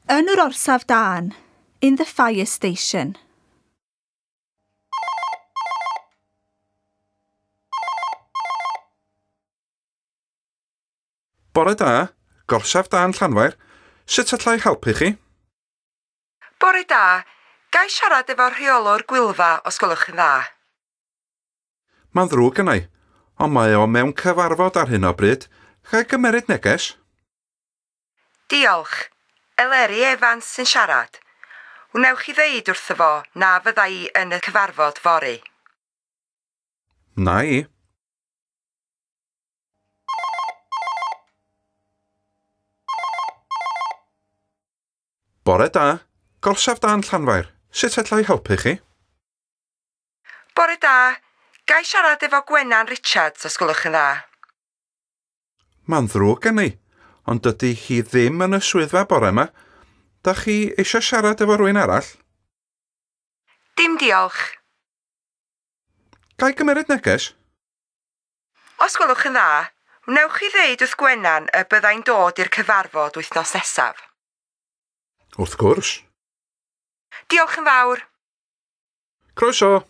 Yn yr orsaf dân. In the fire station. Bore da, gorsaf dân Llanfair. Sut allai helpu chi? Bore da, ga i siarad efo rheolwr Gwylfa os gwelwch yn dda? Mae'n ddrwg gennai, ond mae o mewn cyfarfod ar hyn o bryd. Ga i gymeryd neges? Diolch. Eleri Evans sy'n siarad. Wnewch chi ddeud wrtho fo na fydda i yn y cyfarfod fory? Na i. Bore da, gorsaf dân Llanfair. Sut allai helpu chi? Bore da, ga i siarad efo Gwenan Richards os gwelwch yn dda? Mae'n ddrwg gen i, ond dydy hi ddim yn y swyddfa bore yma. Da chi eisiau siarad efo rhywun arall? Dim diolch. Ga i gymeryd neges? Os gwelwch yn dda, wnewch chi ddeud wrth Gwenan y byddai'n dod i'r cyfarfod wythnos nesaf? Wrth gwrs. Diolch yn fawr. Croeso.